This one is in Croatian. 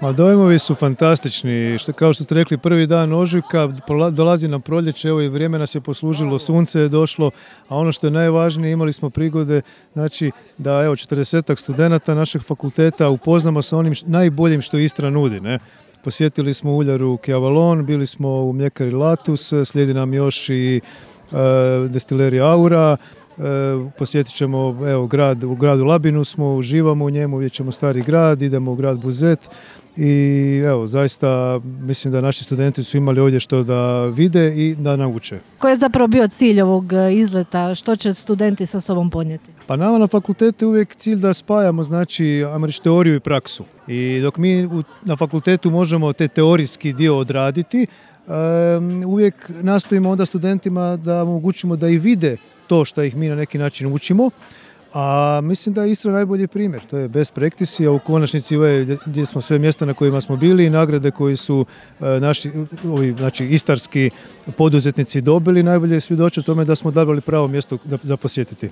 Ma dojmovi su fantastični, kao što ste rekli, prvi dan ožujka, dolazi nam proljeće, evo i vrijeme nas je poslužilo, sunce je došlo, a ono što je najvažnije, imali smo prigode, znači da evo 40 studenata našeg fakulteta upoznamo sa onim najboljim što Istra nudi, ne? Posjetili smo uljaru Kjavalon, bili smo u mljekari Latus, slijedi nam još i destilerija Aura. Posjetit ćemo u gradu Labinu smo, uživamo u njemu, vidjet ćemo stari grad, idemo u grad Buzet i evo, zaista mislim da naši studenti su imali ovdje što da vide i da nauče. Koji je zapravo bio cilj ovog izleta? Što će studenti sa sobom ponijeti? Pa nama na fakultetu je uvijek cilj da spajamo, znači, ajmo reći, teoriju i praksu. I dok mi na fakultetu možemo te teorijski dio odraditi, uvijek nastojimo onda studentima da omogućimo da i vide to što ih mi na neki način učimo, a mislim da je Istra najbolji primjer. To je best practice, a u konačnici gdje smo sve mjesta na kojima smo bili i nagrade koji su naši znači istarski poduzetnici dobili, najbolje svjedoče tome da smo odabrali pravo mjesto za posjetiti.